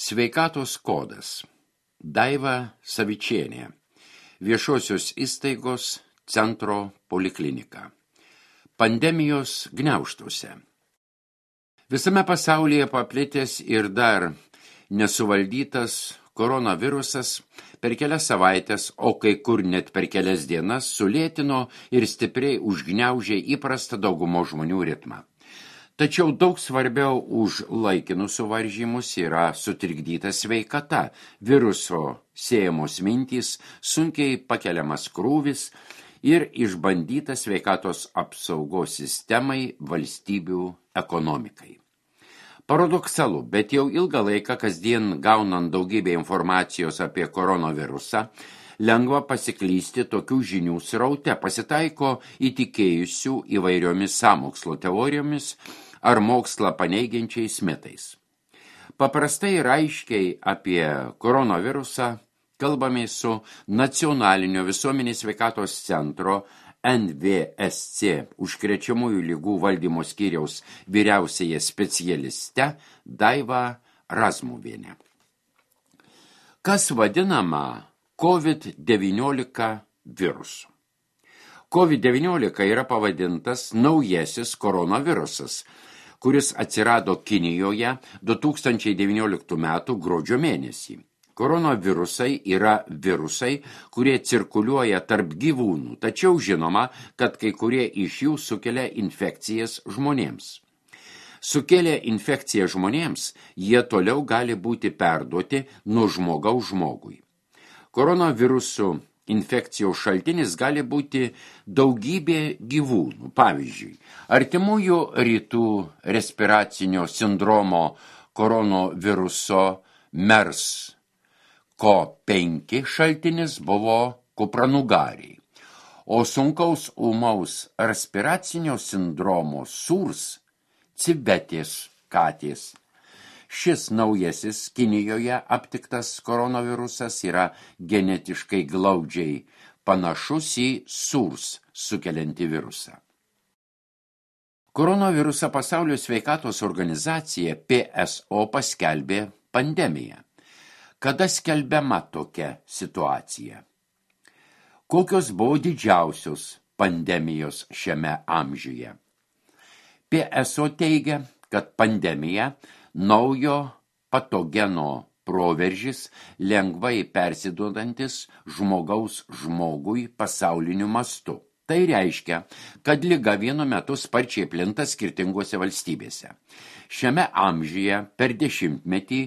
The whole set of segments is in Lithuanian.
Sveikatos kodas. Daiva Savičienė. Viešosios įstaigos centro poliklinika. Pandemijos gniaužtuose. Visame pasaulyje paplitęs ir dar nesuvaldytas koronavirusas per kelias savaitės, o kai kur net per kelias dienas sulėtino ir stipriai užgniaužė įprastą daugumo žmonių ritmą. Tačiau daug svarbiau už laikinus suvaržymus yra sutrikdyta sveikata, viruso siejamos mintys, sunkiai pakeliamas krūvis ir išbandyta sveikatos apsaugos sistemai, valstybių ekonomikai. Paradoksalu, bet jau ilgą laiką kasdien gaunant daugybę informacijos apie koronavirusą, lengva pasiklysti tokių žinių sraute, pasitaiko įtikėjusių įvairiomis sąmokslo teorijomis ar mokslą paneigiančiais mitais. Paprastai ir aiškiai apie koronavirusą kalbame su Nacionalinio visuomenės sveikatos centro NVSC užkrečiamųjų ligų valdymo skyriaus vyriausiąją specialiste Daiva Razmuvienė. Kas vadinama COVID-19 virusu? COVID-19 yra pavadintas naujasis koronavirusas, kuris atsirado Kinijoje 2019 m. gruodžio mėnesį. Koronavirusai yra virusai, kurie cirkuliuoja tarp gyvūnų, tačiau žinoma, kad kai kurie iš jų sukelia infekcijas žmonėms. Sukėlę infekciją žmonėms, jie toliau gali būti perduoti nuo žmogaus žmogui. Koronavirusų infekcijos šaltinis gali būti daugybė gyvūnų. Pavyzdžiui, artimųjų rytų respiracinio sindromo koronaviruso MERS-CoV-5 šaltinis buvo kupranugariai, o sunkaus ūmaus respiracinio sindromo SARS civetės katės. Šis naujasis Kinijoje aptiktas koronavirusas yra genetiškai glaudžiai panašus į SARS sukeliantį virusą. Koronavirusą Pasaulio sveikatos organizacija PSO paskelbė pandemiją. Kada skelbiama tokia situacija? Kokios buvo didžiausios pandemijos šiame amžiuje? PSO teigia, kad pandemija naujo patogeno proveržis lengvai persiduodantis žmogaus žmogui pasauliniu mastu. Tai reiškia, kad liga vienu metu sparčiai plinta skirtingose valstybėse. Šiame amžiuje per dešimtmetį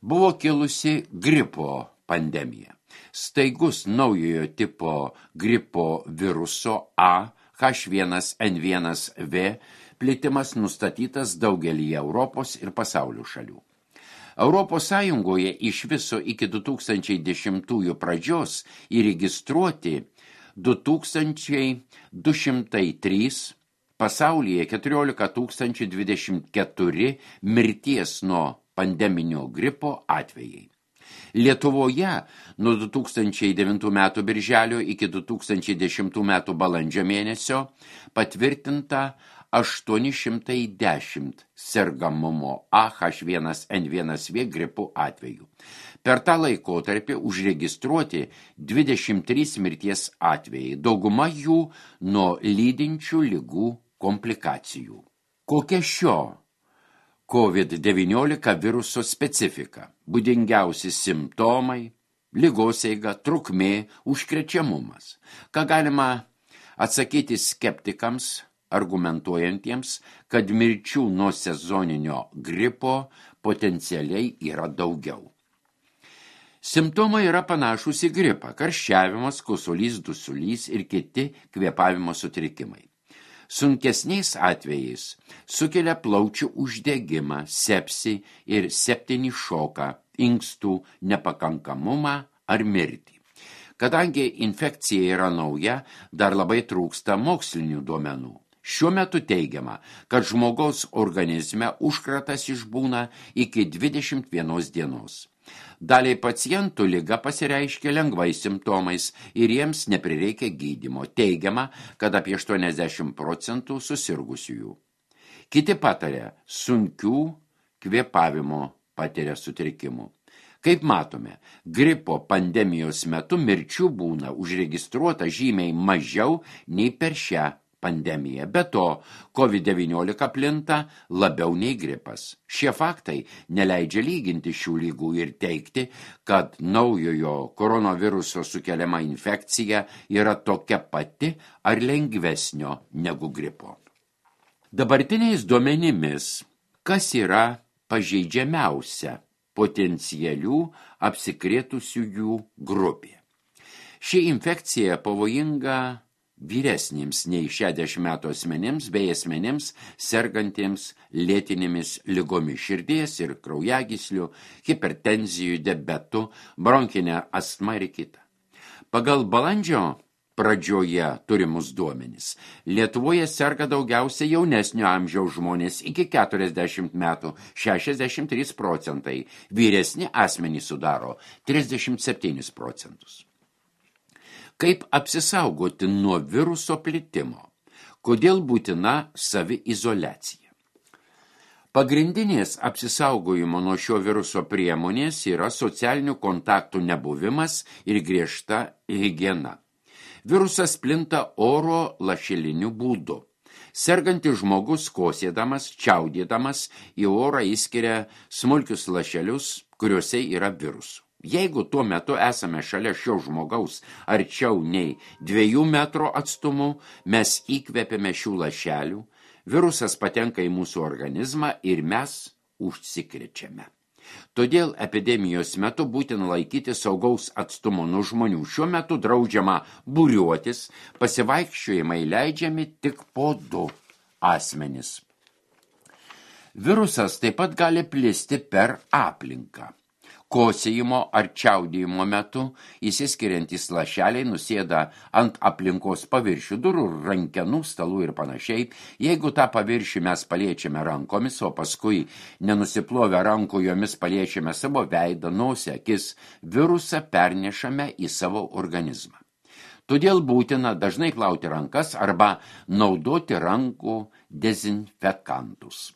buvo kilusi gripo pandemija. Staigus naujojo tipo gripo viruso A H1N1V plitimas nustatytas daugelyje Europos ir pasaulio šalių. Europos Sąjungoje iš viso iki 2010 pradžios įregistruoti 2203, pasaulyje 14 024 mirties nuo pandeminio gripo atvejai. Lietuvoje nuo 2009 metų birželio iki 2010 metų balandžio mėnesio patvirtinta 810 sergamumo H1N1V gripų atvejų. Per tą laikotarpį užregistruoti 23 mirties atvejai, dauguma jų nuo lydinčių ligų komplikacijų. Kokia šio COVID-19 viruso specifika? Būdingiausi simptomai, ligos eiga, trukmė, užkrečiamumas. Ką galima atsakyti skeptikams, argumentuojantiems, kad mirčių nuo sezoninio gripo potencialiai yra daugiau. Simptomai yra panašūs į gripą: karščiavimas, kosulys, dusulys ir kiti kvėpavimo sutrikimai. Sunkesniais atvejais sukelia plaučių uždegimą, sepsį ir septinį šoką, inkstų nepakankamumą ar mirtį. Kadangi infekcija yra nauja, dar labai trūksta mokslinių duomenų. Šiuo metu teigiama, kad žmogaus organizme užkratas išbūna iki 21 dienos. Daliai pacientų liga pasireiškia lengvais simptomais ir jiems neprireikia gydymo. Teigiama, kad apie 80% susirgusiųjų. Kiti pataria sunkių kvėpavimo patiria sutrikimų. Kaip matome, gripo pandemijos metu mirčių būna užregistruota žymiai mažiau nei per šią pandemiją. Be to, COVID-19 plinta labiau nei gripas. Šie faktai neleidžia lyginti šių lygų ir teikti, kad naujojo koronaviruso sukeliama infekcija yra tokia pati ar lengvesnio negu gripo. Dabartiniais duomenimis, kas yra pažeidžiamiausia potencialių apsikrėtusiųjų grupė. Ši infekcija pavojinga vyresniems nei 60 metų asmenims bei asmenims sergantiems lėtinėmis ligomis širdies ir kraujagyslių, hipertenzijų, diabetų, bronkinę astmą ir kitą. Pagal balandžio pradžioje turimus duomenis, Lietuvoje serga daugiausia jaunesnio amžiaus žmonės iki 40 metų, 63%, vyresni asmenys sudaro 37%. Kaip apsisaugoti nuo viruso plitimo? Kodėl būtina saviizoliacija? Pagrindinės apsisaugojimo nuo šio viruso priemonės yra socialinių kontaktų nebuvimas ir griežta higiena. Virusas plinta oro lašeliniu būdu. Sergantis žmogus kosėdamas, čiaudėdamas į orą įskiria smulkius lašelius, kuriuose yra virusų. Jeigu tuo metu esame šalia šio žmogaus arčiau nei 2 metrų atstumu, mes įkvepiame šių lašelių, virusas patenka į mūsų organizmą ir mes užsikrečiame. Todėl epidemijos metu būtina laikyti saugaus atstumo nuo žmonių. Šiuo metu draudžiama būriuotis, pasivaikščiojimai leidžiami tik po 2 asmenis. Virusas taip pat gali plisti per aplinką. Kosėjimo ar čiaudėjimo metu įsiskiriantys lašeliai nusėda ant aplinkos paviršių, durų, rankenų, stalų ir panašiai. Jeigu tą paviršių mes paliečiame rankomis, o paskui nenusiplovę rankų jomis paliečiame savo veidą, nosį, akis, virusą pernešame į savo organizmą. Todėl būtina dažnai plauti rankas arba naudoti rankų dezinfekantus.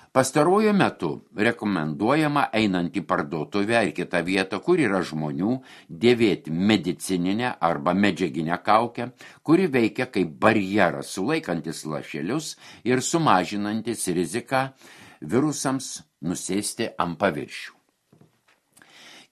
Pastaruoju metu rekomenduojama einant į parduotuvę ar kitą vietą, kur yra žmonių, dėvėti medicininę arba medžiaginę kaukę, kuri veikia kaip barjeras, sulaikantis lašelius ir sumažinantis riziką virusams nusėsti ant paviršių.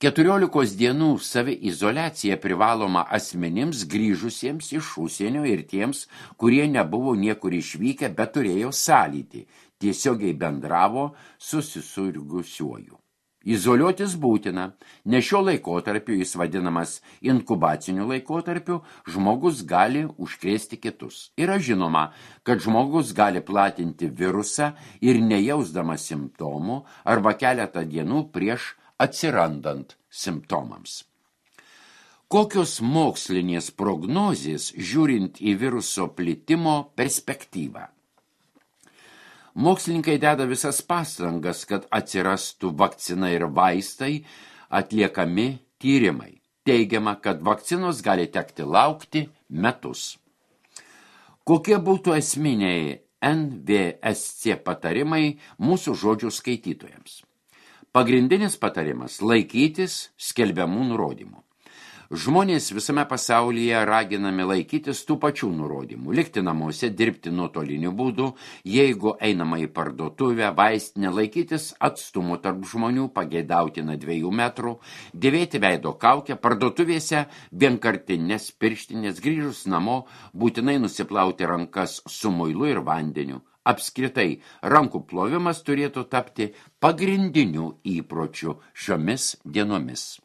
14 dienų saviizoliacija privaloma asmenims grįžusiems iš užsienio ir tiems, kurie nebuvo niekur išvykę, bet turėjo sąlytį, tiesiogiai bendravo su susirgusiuoju. Izoliuotis būtina, nes šio laikotarpiu jis vadinamas inkubaciniu laikotarpiu, žmogus gali užkrėsti kitus. Yra žinoma, kad žmogus gali platinti virusą ir nejausdamas simptomų arba keletą dienų prieš atsirandant simptomams. Kokios mokslinės prognozės žiūrint į viruso plitimo perspektyvą? Mokslininkai deda visas pastangas, kad atsirastų vakcina ir vaistai, atliekami tyrimai. Teigiama, kad vakcinos gali tekti laukti metus. Kokie būtų esminiai NVSC patarimai mūsų žodžių skaitytojams? Pagrindinis patarimas – laikytis skelbiamų nurodymų. Žmonės visame pasaulyje raginami laikytis tų pačių nurodymų, likti namuose, dirbti nuotoliniu būdu, jeigu einama į parduotuvę, vaistinę, laikytis atstumų tarp žmonių, pageidautina 2 metrų, dėvėti veido kaukę, parduotuvėse vienkartinės pirštinės, grįžus namo, būtinai nusiplauti rankas su muilu ir vandeniu. Apskritai, rankų plovimas turėtų tapti pagrindiniu įpročiu šiomis dienomis.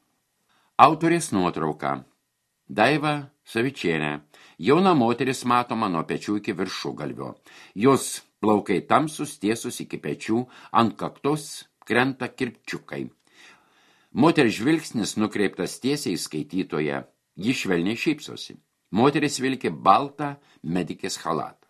Autorės nuotrauka. Daiva Savičienė. Jauna moteris matoma nuo pečių iki viršugalvio. Jos plaukai tamsus, tiesus iki pečių, ant kaktos krenta kirpčiukai. Moters žvilgsnis nukreiptas tiesiai į skaitytoją. Ji švelniai šypsosi. Moteris vilki baltą medikės chalatą.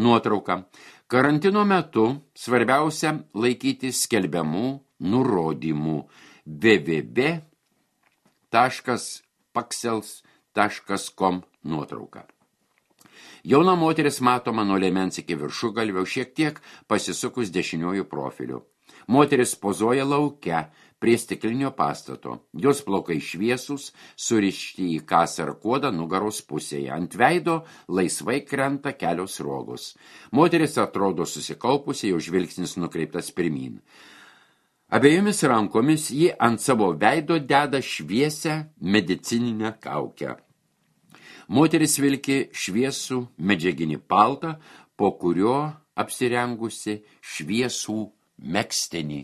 Nuotrauka. Karantino metu svarbiausia laikyti skelbiamų nurodymų. www.paxels.com nuotrauka. Jauna moteris matoma nuo liemens iki viršugalvio, šiek tiek pasisukus dešiniuoju profiliu. Moteris pozuoja lauke prie stiklinio pastato. Jos plaukai šviesūs, surišti į kasą ar kuodą nugaros pusėje. Ant veido laisvai krenta kelios rogos. Moteris atrodo susikaupusi, jau žvilgsnis nukreiptas pirmyn. Abiejomis rankomis ji ant savo veido deda šviesią medicininę kaukę. Moteris vilki šviesų medžiaginį paltą, po kurio apsirengusi šviesų megztinį